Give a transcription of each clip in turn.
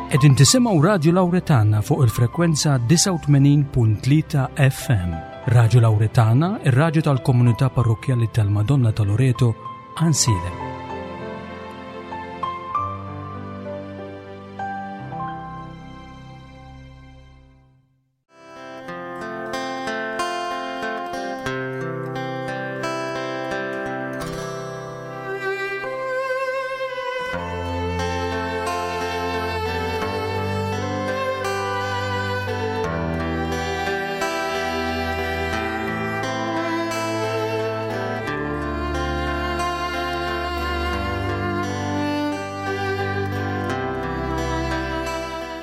Qegħdin tisimgħu Radju Lawretana fuq il-frekwenza 89.3 FM. Radju Lawretana, ir-radju tal-komunità parrokkjali tal-Madonna ta' Loreto, Ansilem.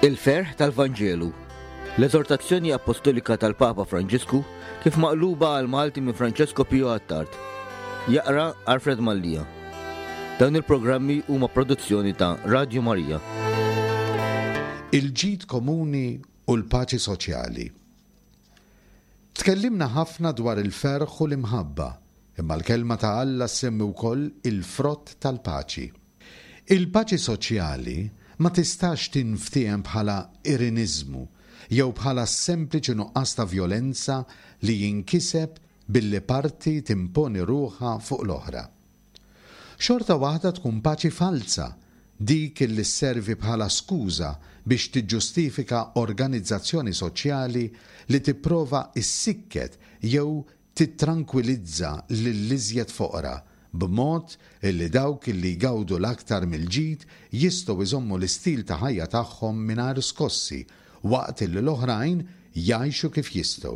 Il-ferħ tal-Vanġelu. L-eżortazzjoni appostolika tal-Papa Franġisku kif maqluba għal Malti minn Francesco Pio Attard. Jaqra Alfred Mallia. Dawn il-programmi huma produzzjoni ta' Radio Maria. Il-ġid komuni u l-paċi soċjali. Tkellimna ħafna dwar il-ferħ u l-imħabba, imma l-Kelma ta' Alla ssemmi wkoll il-frott tal-paċi. Il-paċi soċjali ma tistax tinftiehem bħala iriniżmu jew bħala s-sempliċi nuqqas ta' vjolenza li jinkiseb billi parti timponi ruħha fuq l-oħra. Xorta waħda tkun paċi falza dik li sservi bħala skuża biex tiġġustifika organizzazzjoni soċjali li tipprova ssikket jew titrankwilizza lill-iżjed foqra b'mod li dawk li jgawdu l-aktar mill-ġid jistgħu jżommu l-istil ta' ħajja tagħhom mingħajr skossi waqt li l-oħrajn jgħixu kif jistgħu.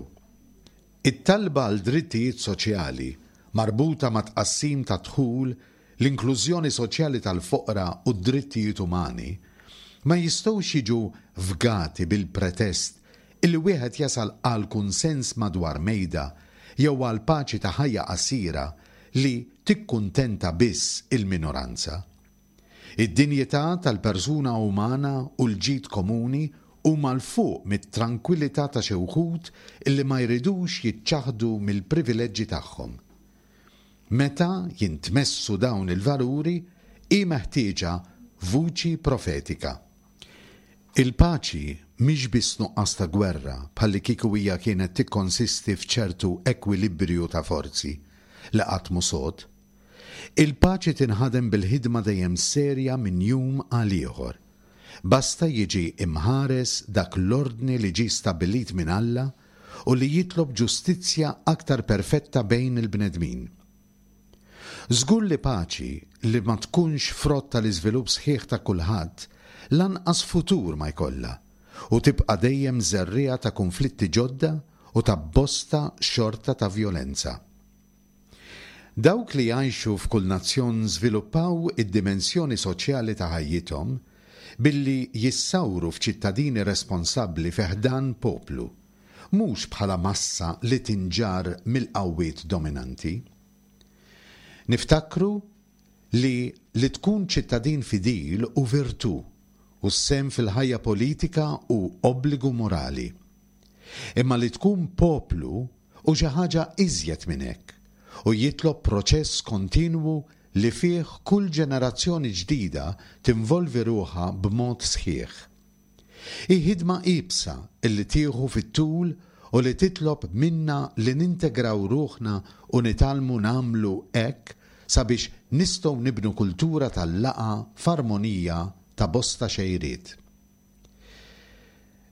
It-talba għal drittijiet soċjali marbuta mat-tqassim tad-dħul, l-inklużjoni soċjali tal-foqra u d-drittijiet umani ma jistgħux jiġu fgati bil-pretest illi wieħed jasal għal kunsens madwar mejda jew għal paċi ta' ħajja qasira li tikkuntenta biss il-minoranza. Id-dinjità tal-persuna umana u l-ġid komuni huma 'l fuq mit-trankwillità ta' xi wħud li ma jridux jiċċaħħdu mill-privileġġi tagħhom. Meta jintmessu dawn il-valuri, hi meħtieġa vuċi profetika. Il-paċi mhix biss nuqqas ta' gwerra bħallikieku hija kienet tikkonsisti f'ċertu ekwilibriju ta' forzi, li qatt mhu sod. Il-paċi tinħadem bil-ħidma dejjem serja minn jum għal ieħor. Basta jiġi imħares dak l-ordni li ġie stabbilit minn Alla u li jitlob ġustizzja aktar perfetta bejn il-bnedmin. Żgur li paċi li ma tkunx frott tal-iżvilupp sħiħ ta' kulħadd lanqas futur ma jkollha u tibqa' dejjem żerriegħa ta' kunflitti ġodda u ta' bosta xorta ta' vjolenza. Dawk li jgħixu f'kull nazzjon żviluppaw id-dimensjoni soċjali ta' ħajjithom billi jissawru f'ċittadini responsabbli fi ħdan poplu, mhux bħala massa li tinġarr mill-qawwiet dominanti. Niftakru li li tkun ċittadin fidil hu virtù u s-sehem fil-ħajja politika hu obbligu morali. Imma li tkun poplu Hu xi ħaġa iżjed minn hekk, u jitlob proċess kontinwu li fih kull ġenerazzjoni ġdida tinvolvi ruħha b'mod sħiħ. Hi ħidma iebsa li tieħu fit-tul u li titlob minna li nintegraw ruħna u nitgħallmu nagħmlu hekk sabiex nistgħu nibnu kultura tal-laqgħa f'armonija ta' bosta xejriet.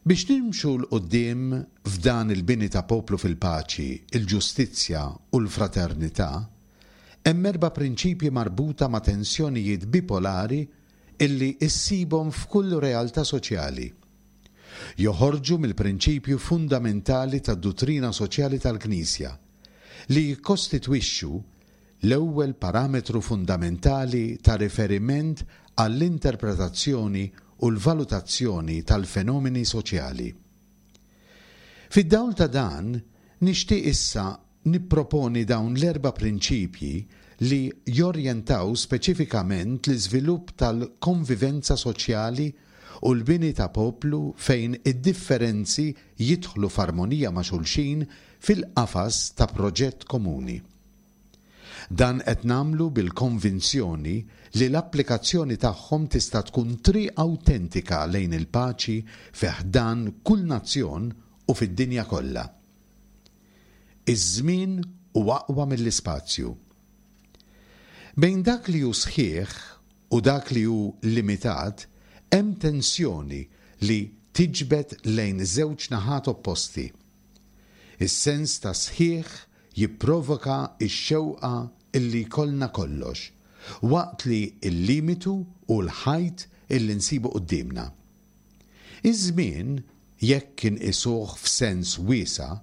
Biex nimxu 'l quddiem f'dan il-bini ta' poplu fil-paċi, il-ġustizzja u l-fraternità, hemm erba' prinċipji marbuta ma' tensjonijiet bipolari illi issibhom f'kull realtà soċjali. Joħorġu mill-prinċipju fundamentali tad-duttrina soċjali tal-Knisja, li jikkostitwixxu l-ewwel parametru fundamentali ta' riferiment għall-interpretazzjoni u l-valutazzjoni tal-fenomeni soċjali. Fid-dawl ta' dan, nixtieq issa nipproponi dawn l-erba' prinċipji li jorjentaw speċifikament l-iżvilupp tal-konvivenza soċjali u l-bini ta' poplu fejn id-differenzi jidħlu f'armonija ma' xulxin fil-qafas ta' proġett komuni. Dan qed nagħmlu bil-konvinzjoni li l-applikazzjoni tagħhom tista' tkun triq awtentika lejn il-paċi fi ħdan kull nazzjon u fid-dinja kollha. Iż-żmien hu aqwa mill-ispazju. Bejn dak li hu sħiħ u dak li hu limitat hemm tensjoni li tiġbed lejn żewġ naħat opposti. Is-sens ta' sħiħ jipprovoka x-xewqa illi jkollna kollox, waqt li l-limitu hu l-ħajt illi nsibu quddiemna. Iż-żmien, jekk inqisuh f'sens wiesa',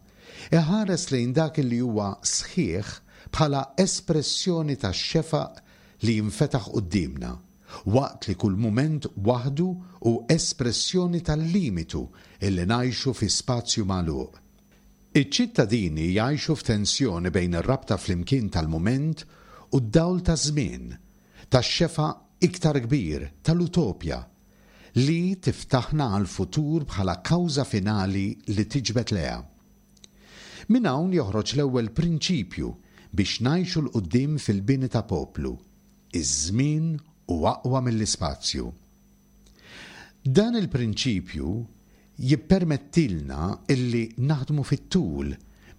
iħares lejn dak li huwa sħiħ bħala espressjoni tax-xefaq li jinfetaħ quddiemna, waqt li kull mument waħdu hu espressjoni tal-limitu illi ngħixu fi spazju magħluq. Iċ-ċittadini jgħixu f'tensjoni bejn ir-rabta flimkien tal-mument u d-dawl taż-żmien, tax-xefaq iktar kbir, tal-utopja, li tiftaħna għall-futur bħala kawża finali li tiġbed lejha. Minn hawn joħroġ l-ewwel prinċipju biex ngħixu 'l quddiem fil-bini ta' poplu, iż-żmien hu aqwa mill-ispazju. Dan il-prinċipju jippermettilna illi naħdmu fit-tul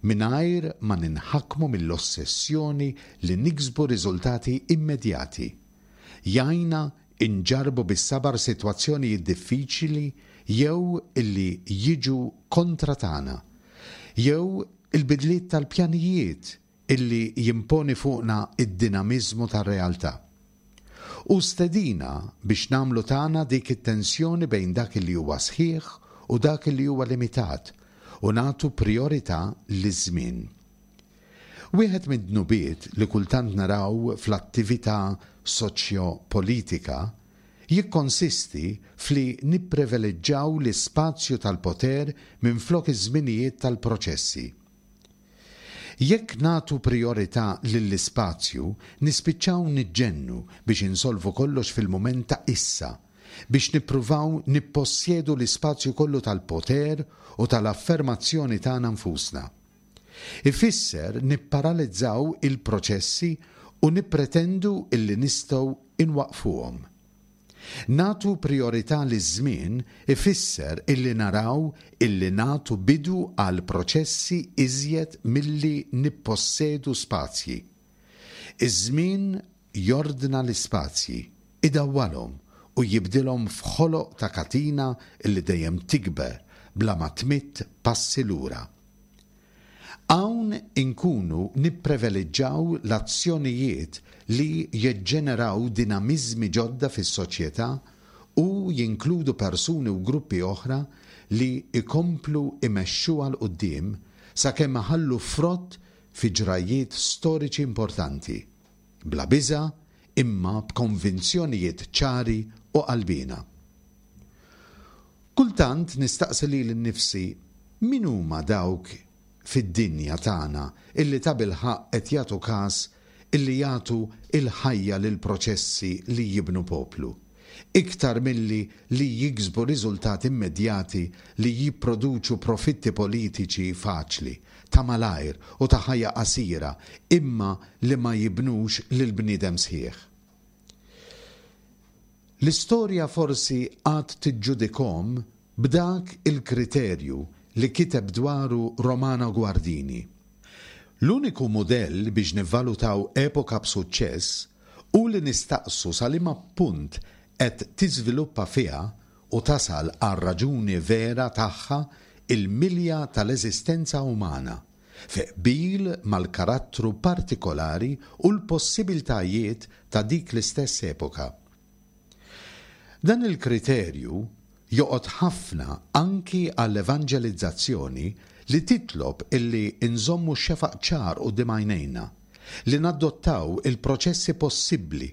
mingħajr ma ninħakmu mill-ossessjoni li niksbu riżultati immedjati. Jgħinna Inġarrbu bis-sabar sitwazzjonijiet diffiċli jew li jiġu kontra tagħna, jew il-bidliet tal-pjanijiet illi jimponi fuqna d-dinamiżmu tar-realtà. Hu stedina biex nagħmlu tagħna dik it-tensjoni bejn dak li huwa sħiħ u dak li huwa limitat u nagħtu prijorità liż-żmien. Wieħed mid-dnubiet li kultant naraw fl-attività soċjo-politika jikkonsisti f'li nippreveleġġaw l-ispazju tal-poter minflok iż-żminijiet tal-proċessi. Jekk nagħtu prijorità lill-ispazju nispiċċaw niġġennu biex insolvu kollox fil-mument ta' issa, biex nippruvaw nippossjedu l-ispazju kollu tal-poter u tal-affermazzjoni tagħna nfusna. Ifisser nipparalizzaw il-proċessi u nippretendu illi nistgħu inwaqqfuhom. Nagħtu prijorità liż-żmien ifisser illi naraw illi nagħtu bidu għal proċessi iżjed milli nippossedu spazji. Iż-żmien jordna l-ispazji, idawwalhom u jibdilhom f'ħoloq ta' katina illi dejjem tikber bla ma tmidd passi lura. Hawn inkunu nippreveliġġaw l-azzjonijiet li jiġġeneraw dinamiżmi ġodda fis-soċjetà u jinkludu persuni u gruppi oħra li jkomplu jmexxuha 'l quddiem sakemm iħallu frott fi ġrajjiet storiċi importanti, bla biża' imma b'konvinzjonijiet ċari u qalbiena. Kultant nistaqsi lili nnifsi min huma dawk fid-dinja tagħna illi tabilħaqq qed jagħtu kas illi jagħtu l-ħajja lill-proċessi li jibnu poplu, iktar milli li jiksbu riżultati immedjati li jipproduċu profitti politiċi faċli, ta' malajr u ta' ħajja qasira imma li ma jibnux lill-bniedem sħiħ. L-istorja forsi għad tiġġudikhom b'dak il-kriterju li kiteb dwaru Romano Guardini. L-uniku mudell biex nivvalutaw epoka b'suċċess hu li nistaqsu sa liema punt qed tiżviluppa fiha u tasal għar-raġuni vera tagħha il-milja tal-eżistenza umana, fi qbil mal-karattru partikolari u l-possibiltajiet ta' dik l-istess epoka. Dan il-kriterju joqgħod ħafna anki għall-evanġelizzazzjoni li titlob illi nżommu x-xefaq ċar quddiem għajnejna, li nadottaw il-proċessi possibbli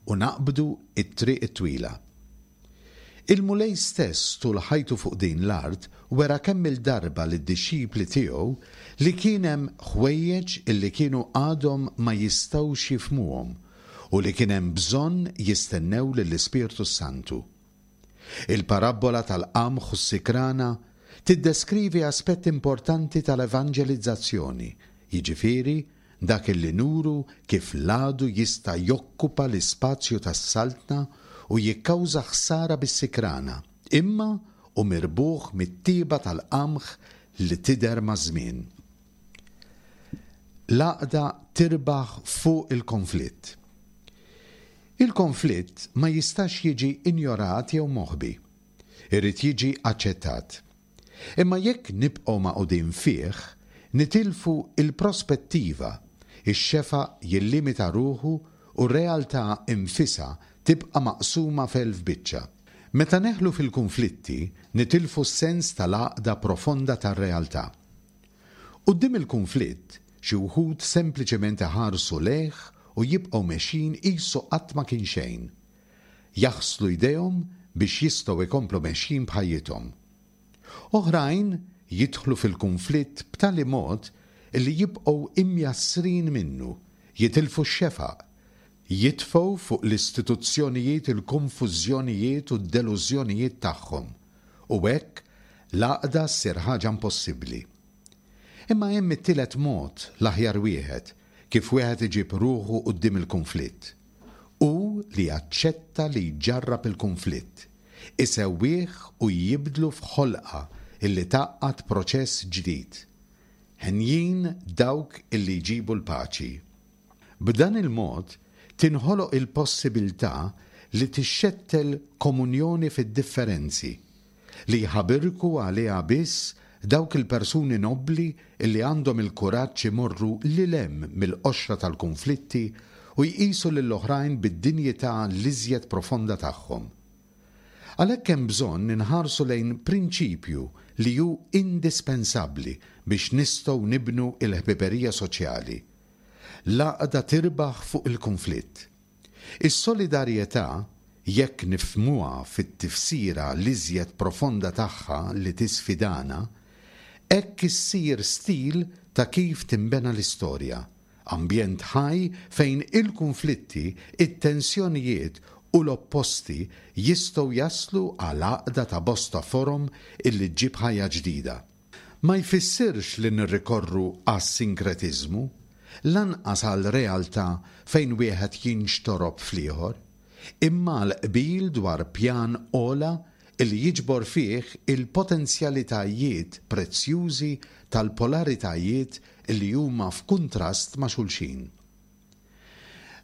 u naqbdu t-triq it-twila. Il-Mulej stess tul ħajtu fuq din l-art wera kemm-il darba lid-dixxipli tiegħu li kien hemm ħwejjeġ illi kienu għadhom ma jistgħux jifhmuhom u li kien hemm bżonn jistennew lill-Ispirtu s-Santu. Il-parabbola tal-qamħ u s-sikrana tiddeskrivi aspett importanti tal-evanġelizzazzjoni, jiġifieri, dak illi nuru kif l-għadu jista' jokkupa l-ispazju tas-Saltna u jikkawża ħsara bis-sikrana, imma hu mirbuħ mit-tieba tal-qamħ li tidher maż-żmien. L-għaqda tirbaħ fuq il-konflitt. Il-konflitt ma jistax jiġi injorat jew moħbi. Irid jiġi aċċettat. Imma jekk nibqgħu magħqudin fih, nitilfu l-prospettiva, ix-xefaq jillimita ruħu u r-realtà nfisha tibqa' maqsuma f'elf biċċa. Meta neħlu fil-kunflitti, nitilfu s-sens tal-għaqda profonda tar-realtà. Quddiem il-kunflitt, xi wħud sempliċement iħarsu lejh u jibqgħu mexjin qisu qatt ma kien xejn. Jaħslu jdejhom biex jistgħu jkomplu mexjin b'ħajjithom. Oħrajn jidħlu fil-kunflitt b'tali mod li jibqgħu imjassrin minnu, jitilfu x-xefaq, jitfgħu fuq l-istituzzjonijiet il-konfużjonijiet u d-delużjonijiet tagħhom, u hekk l-għaqda ssir ħaġa impossibbli. Imma hemm it-tielet mod, l-aħjar wieħed, kif wieħed iġib ruħu quddiem il-kunflitt. Hu li jaċċetta li jġarrab il-kunflitt, isewwih u jibdlu f'ħolqa illi tgħaqqad proċess ġdid. Henjin dawk illi jġibu l-paċi. B'dan il-mod tinħoloq il-possibiltà li tixxettel komunjoni fid-differenzi, li jħabirku għaliha biss dawk il-persuni nobbli li għandhom il-kuraġġ imorru lil hemm mill-qoxra tal-kunflitti u jqisu lill-oħrajn bid-dinjità l-iżjed profonda tagħhom. Għalhekk hemm bżonn inħarsu lejn prinċipju li hu indispensabbli biex nistgħu nibnu l-ħbiberija soċjali. L-għaqda tirbaħ fuq il-kunflitt. Is-solidarjetà, jekk nifhmuha fit-tifsira l-iżjed profonda tagħha li tisfidana, hekk issir stil ta' kif tinbena l-istorja, ambjent ħaj fejn il-kunflitti, it-tensjonijiet u l-opposti jistgħu jaslu għal għaqda ta' bosta forom illi ġġib ħajja ġdida. Ma jfissirx li nirrikorru għas-sinkretiżmu, lanqas għal realtà fejn wieħed jinxtorob fl-ieħor, imma għal qbil dwar pjan ogħla li jiġbor fih il-potenzjalitajiet prezzjużi tal-polaritajiet li huma f'kuntrast ma' xulxin.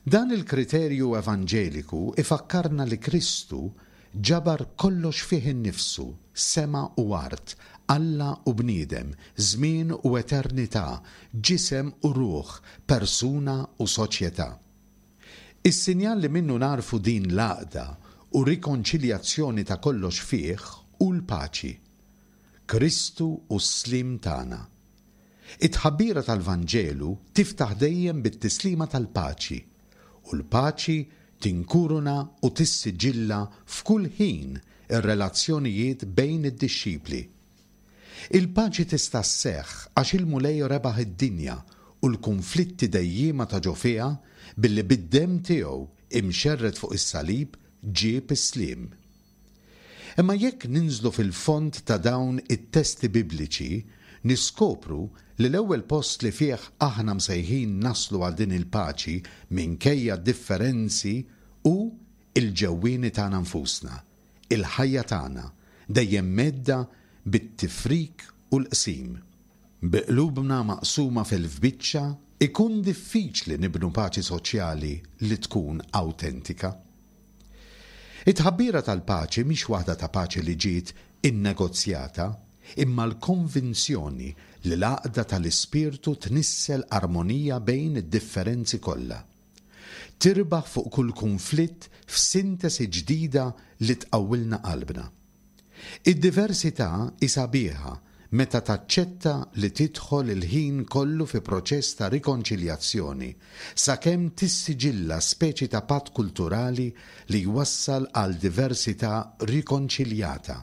Dan il-kriterju evanġeliku ifakkarna li Kristu ġabar kollox fih innifsu, sema u art, Alla u bniedem, żmien u eternità, ġisem u ruħ, persuna u soċjetà. Is-sinjal li minnu nagħrfu din l-għaqda u rikonċiljazzjoni ta' kollox fih hu l-paċi. Kristu hu s-sliem tagħna. It-tħabbira tal-Vanġelu tiftaħ dejjem bit-tislima tal-paċi, u l-paċi tinkuruna u tissiġilla f'kull ħin ir-relazzjonijiet bejn id-dixxipli. Il-paċi tista' sseħħ għax il-Mulej rebaħ id-dinja u l-kunflitti dejjiema ta' ġo fiha billi bid-demm tiegħu imxerred fuq is-salib ġieb is-sliem. Imma jekk ninżlu fil-fond ta' dawn it-testi Bibliċi, niskopru li l-ewwel post li fih aħna msejħin naslu għal din il-paċi minkejja d-differenzi hu l-ġewwieni tagħna nfusna, il-ħajja tagħna, dejjem mhedda bit-tifrik u l-qsim. Bi qlubna maqsuma f'elf biċċa, ikun diffiċli nibnu paċi soċjali li tkun awtentika. It-tħabbira tal-paċi mhix waħda ta' paċi li ġiet innegozjata, imma l-konvinzjoni li l-għaqda tal-ispirtu tnissel armonija bejn id-differenzi kollha. Tirbaħ fuq kull kunflitt f'sintesi ġdida li tqawwilna qalbna. Id-diversità hi sabiħa meta taċċetta li tidħol il-ħin kollu fi proċess ta' rikonċiljazzjoni sakemm tissiġilla speċi ta' patt kulturali li jwassal għal diversità rikonċiljata,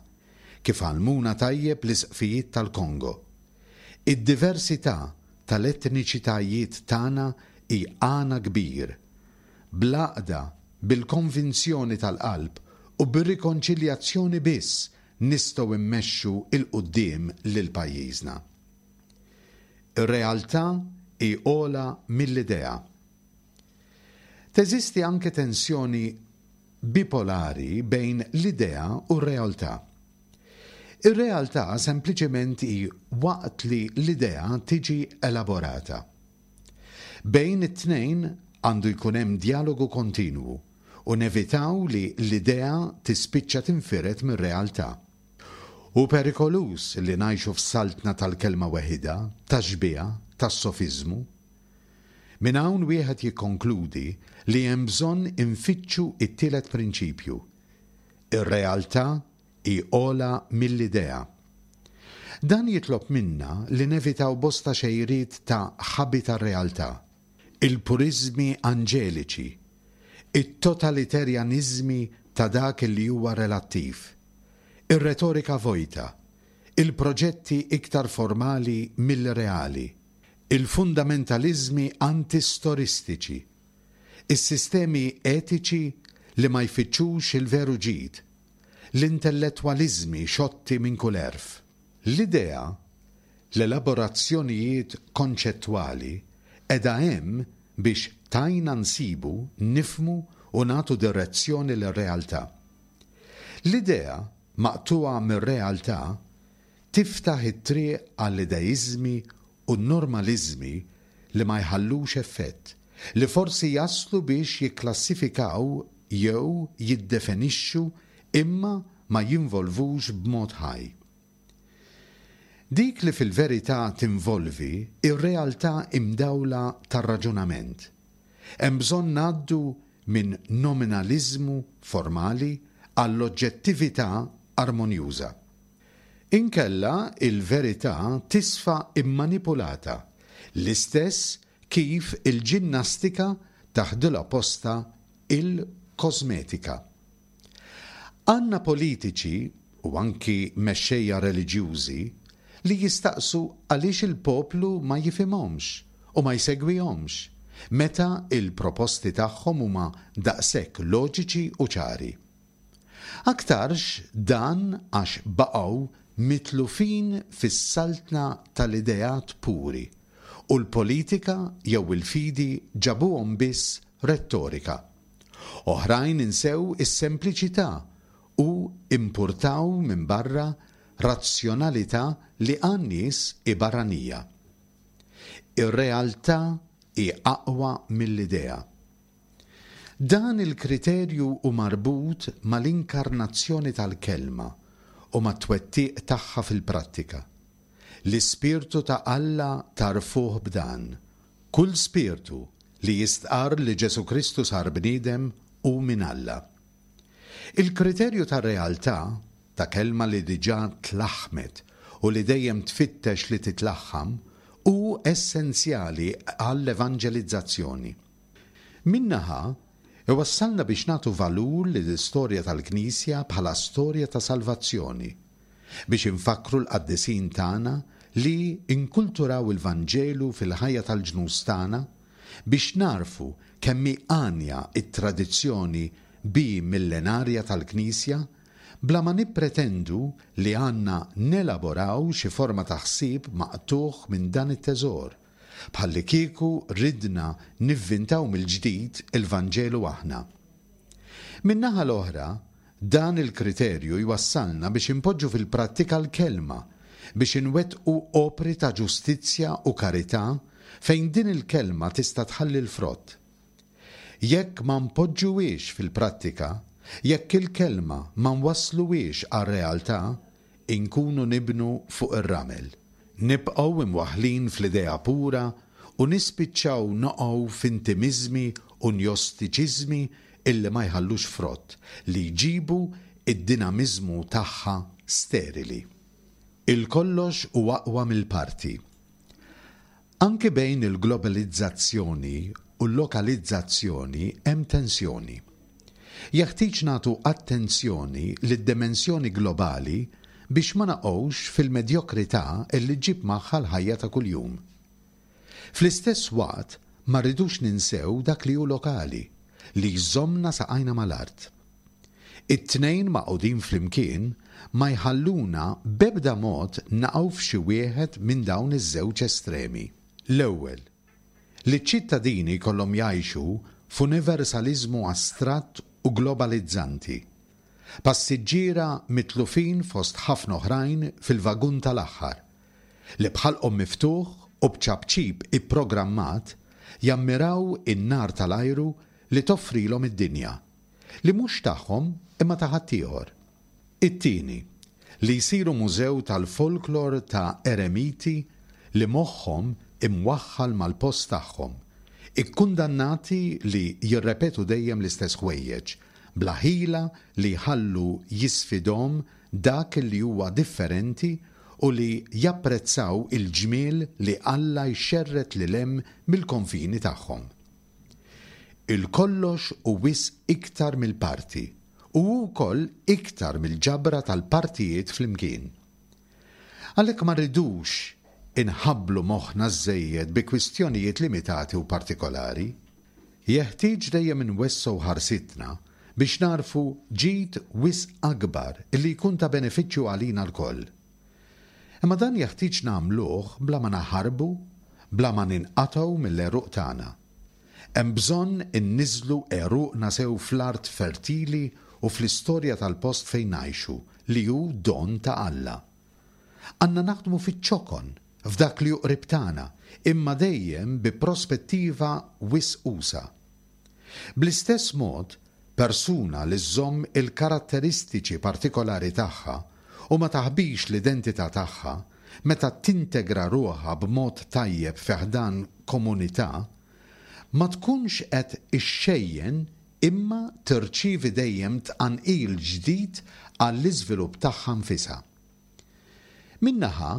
kif għallmuna tajjeb l-isqfijiet tal-Kongo. Id-diversità tal-etniċitajiet tagħna hi għana kbir. Bl-għaqda, bil-konvinzjoni tal-qalb u bir-rikonċiljazzjoni biss nistgħu mmexxu 'l quddiem lil pajjiżna. Ir-realtà hi ogħla mill-idea. Teżisti anke tensjoni bipolari bejn l-idea u r-realtà. Ir-realtà sempliċement hi waqt li l-idea tiġi elaborata. Bejn it-tnejn għandu jkun hemm djalogu kontinwu u nevitaw li l-idea tispiċċa tinfired mir-realtà. Hu perikoluż li ngħixu f'saltna tal-kelma weħidha, tax-xbieha, tas-sofiżmu. Minn hawn wieħed jikkonkludi li hemm bżonn infittxu t-tielet prinċipju, Ir-realtà hi ogħla mill-idea. Dan jitlob minna li nevitaw bosta xejriet ta' ħabi tar-realtà, il-puriżmi anġeliċi, it-totaliterjaniżmi ta' dak li huwa relattiv, ir-retorika vojta, il-proġetti iktar formali milli reali, il-fundamentaliżmi antistoristiċi, is-sistemi etiċi li ma jfittxux il-veru ġid, l-intellettwaliżmi xotti minn kull għerf. L-idea, l-elaborazzjonijiet konċettwali, qiegħda hemm biex tgħinna nsibu, nifhmu u nagħtu direzzjoni lir-realtà. L-idea, maqtugħa mir-realtà, tiftaħ it-triq għall-ideiżmi u n-normaliżmi li ma jħallux effett, li forsi jaslu biex jikklassifikaw jew jiddefenixxu imma ma jinvolvux b'mod ħaj. Dik li fil-verità tinvolvi hi r-realtà imdawla tar-raġunament. Hemm bżonn ngħaddu minn nominaliżmu formali għall-oġġettività armonjuża. Inkella il-verità tisfa mmanipulata, l-istess kif il-ġinnastika taħdilha postha il-kosmetika. Għandna politiċi, u anki mexxejja reliġjużi, li jistaqsu għaliex il-poplu ma jifhimhomx u ma jsegwihomx, meta il-proposti tagħhom huma daqshekk loġiċi u ċari. Aktarx dan għax baqgħu mitlufin fis-saltna tal-ideat puri u l-politika jew il-fidi ġabuhom biss rettorika. Oħrajn insew is-sempliċità u impurtaw minn barra razzjonalità li għan-nies hi barranija. Ir-realtà hi aqwa mill-idea. Dan il-kriterju hu marbut mal-inkarnazzjoni tal-Kelma u mat-twettiq tagħha fil-prattika. L-Ispirtu ta' Alla tagħrfuh b'dan, Kull spirtu li jistqarr li Ġesù Kristu sar bniedem hu minn Alla. Il-kriterju tar-realtà, ta' kelma li diġà tlaħħmet u li dejjem tfittex li titlaħħam, hu essenzjali għall-evanġelizzazzjoni. Minn naħa, iwassalna biex nagħtu valur lill-istorja tal-Knisja bħala storja ta' salvazzjoni, biex infakkru l-qaddisin tagħna li inkulturaw il-Vanġelu fil-ħajja tal-ġnus tagħna, biex nagħrfu kemm hi għanja t-tradizzjoni bi-millenarja tal-Knisja, bla ma nippretendu li għandna nelaboraw xi forma ta' ħsieb maqtugħ minn dan it-teżor, Bħallikieku ridna nivvintaw mill-ġdid il-Vanġelu aħna. Min-naħa l-oħra, dan il-kriterju jwassalna biex inpoġġu fil-prattika l-Kelma, biex inwettqu opri ta' ġustizzja u karità fejn din il-Kelma tista' tħalli l-frott. Jekk ma npoġġuhiex fil-prattika, jekk il-Kelma ma nwassluhiex għar-realtà, inkunu nibnu fuq ir-ramel. Nibqgħu imwaħħlin fl-idea pura u nispiċċaw noqgħu f'intimiżmi u njostiċiżmi illi ma jħallux frott, li jġibu d-dinamiżmu tagħha sterili. Il-kollox hu aqwa mill-parti. Anki bejn il-globalizzazzjoni u l-lokalizzazzjoni hemm tensjoni. Jeħtieġ nagħtu attenzjoni lid-dimensjoni globali biex ma naqgħux fil-medjokrità li ġġib magħha l-ħajja ta' kuljum. Fl-istess waqt ma rridux ninsew dak li hu lokali, li jżommna saqajna mal-art. It-tnejn magħqudin flimkien ma jħalluna b'ebda mod naqgħu f'xi wieħed minn dawn iż-żewġ estremi. L-ewwel. Li ċ-ċittadini jkollhom jgħixu f'universaliżmu astratt u globalizzanti. Passiġġiera mitlufin fost ħafna oħrajn fil-vagun tal-aħħar, li b'ħalqhom miftuħ u b'ċapċip ipprogrammat jammiraw in-nar tal-ajru li toffrilhom id-dinja, li mhux tagħhom imma ta' ħaddieħor. It-tieni, li jsiru mużew tal-folklor ta' eremiti li moħħhom imwaħħal mal-post tagħhom, ikkundannati li jirrepetu dejjem l-istess ħwejjeġ, bla ħila li jħallu jisfidhom dak li huwa differenti u li japprezzaw il-ġmiel li Alla jxerred lil hemm mill-konfini tagħhom. Il-kollox hu wisq iktar mill-parti u hu wkoll iktar mill-ġabra tal-partijiet flimkien. Għalhekk ma rridux inħabblu moħħna żżejjed bi kwistjonijiet limitati u partikolari. Jeħtieġ dejjem inwessgħu ħarsitna biex nagħrfu ġid wisq akbar li jkun ta' benefiċċju għalina lkoll. Imma dan jeħtieġ nagħmluh bla ma naħarbu, bla ma ninqatgħu mill-għeruq tagħna. Hemm bżonn inniżżlu għeruqna sew fl-art fertili u fl-istorja tal-post fejn ngħixu, li hu don ta' Alla. Għandna naħdmu fiċ-ċokon, f'dak li hu qrib tagħna, imma dejjem bi prospettiva wisq usa'. Bl-istess mod, persuna li żżomm il-karatteristiċi partikolari tagħha u ma taħbix l-identità tagħha, meta tintegra ruħha b'mod tajjeb fi ħdan komunità, ma tkunx qed ixxejjen imma tirċievi dejjem tqanqil ġdid għall-iżvilupp tagħha nfisha. Minn naħa,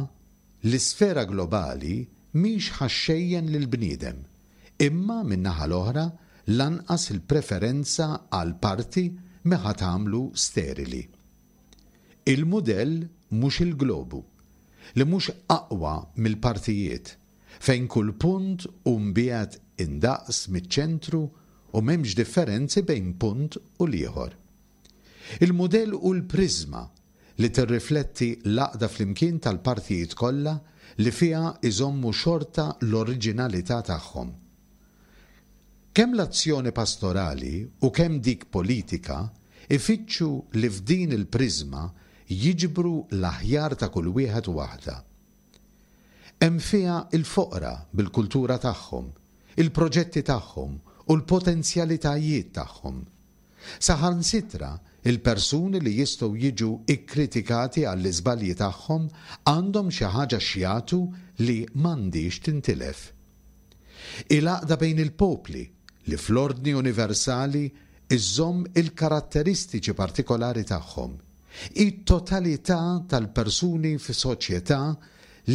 l-isfera globali mhix ħa xxejjen lill-bniedem, imma min-naħa l-oħra lanqas il-preferenza għal parti mhi ħa tagħmlu sterili. Il-mudell mhux il-globu, li mhux aqwa mill-partijiet, fejn kull punt hu mbiegħed indaqs miċ-ċentru u m'hemmx differenzi bejn punt u l-ieħor. Il-mudell hu l-priżma li tirrifletti l-għaqda flimkien tal-partijiet kollha li fiha jżommu xorta l-oriġinalità tagħhom. Kemm l-azzjoni pastorali u kemm dik politika jfittxu li f'din il-priżma jiġbru l-aħjar ta' kull wieħed u waħda. Hemm fiha l-foqra bil-kultura tagħhom, il-proġetti tagħhom u l-potenzjalitajiet tagħhom. Saħansitra l-persuni li jistgħu jiġu kkritikati għall-iżbalji tagħhom għandhom xi ħaġa x'jagħtu li m'għandhiex tintilef. Hi l-għaqda bejn il-popli li fl-ordni universali żżomm il-karatteristiċi partikolari tagħhom. Hi t-totalità tal-persuni f'soċjetà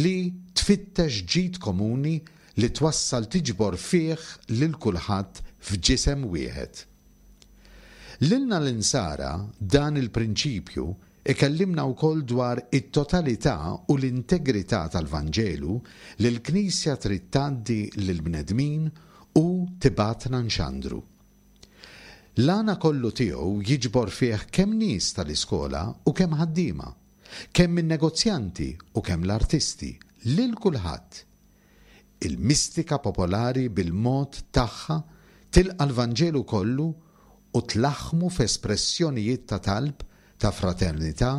li tfittex ġid komuni li twassal tiġbor fih lil kulħadd f'ġisem wieħed. Lilna l-Insara dan il-prinċipju ikellimna wkoll dwar it-totalità u l-integrità tal-Vanġelu li l-Knisja trid tgħaddi lill-bnedmin u tibgħatna nxandru. L-għana kollu tiegħu jiġbor fih kemm nies tal-iskola u kemm ħaddiema, kemm in-negozjanti u kemm l-artisti, lil kulħadd. Il-mistika popolari bil-mod tagħha tilqa' l-Vanġelu kollu u tlaħħmu f'espressjonijiet ta' talb, ta' fraternità,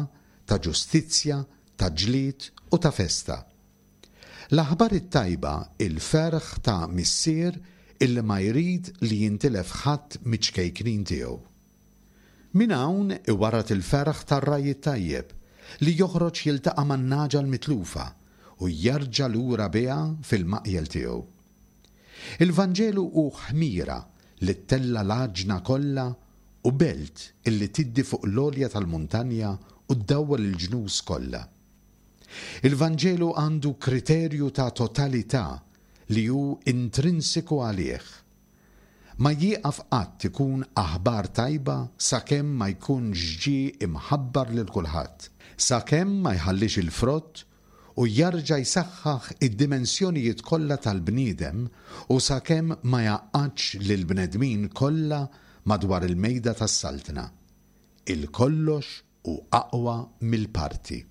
ta' ġustizzja, ta' ġlied u ta' festa. L-aħbar it-tajba hi l-ferħ ta' Missier illi ma jrid li jintilef ħadd miċ-ċkejknin tiegħu. Minn hawn iwarrad il-ferħ tar-ragħaj it-tajjeb li joħroġ jiltaqa' man-nagħġa l-mitlufa u jerġa' lura biha fil-maqjel tiegħu. Il-Vanġelu hu ħmira li ttella' l-għaġna kollha u belt illi tiddi fuq l-għolja tal-muntanja u ddawwal il-ġnus kollha. Il-Vanġelu għandu kriterju ta' totalità li hu intrinsiku għalih. Ma jieqaf qatt ikun aħbar tajba sakemm ma jkunx ġie imħabbar lil kulħadd, sakemm ma jħallix il-frott u jarġa' jsaħħaħ id-dimensjonijiet kollha tal-bniedem u sakemm ma jgħaqqadx lill-bnedmin kollha madwar il-mejda tas-Saltna. Il-kollox hu aqwa mill-parti.